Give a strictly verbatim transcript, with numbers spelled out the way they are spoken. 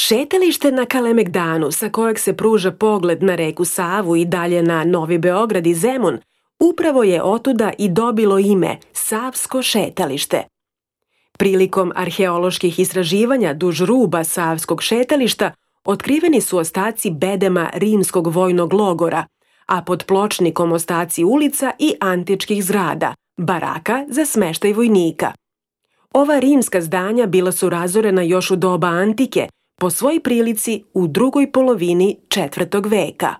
Šetalište na Kalemegdanu, sa kojeg se pruža pogled na reku Savu i dalje na Novi Beograd i Zemun, upravo je otuda i dobilo ime Savsko šetalište. Prilikom arheoloških istraživanja duž ruba Savskog šetališta otkriveni su ostaci bedema rimskog vojnog logora, a pod pločnikom ostaci ulica i antičkih zgrada, baraka za smeštaj vojnika. Ova rimska zdanja bila su razorena još u doba antike, po svoj prilici u drugoj polovini četvrtog veka.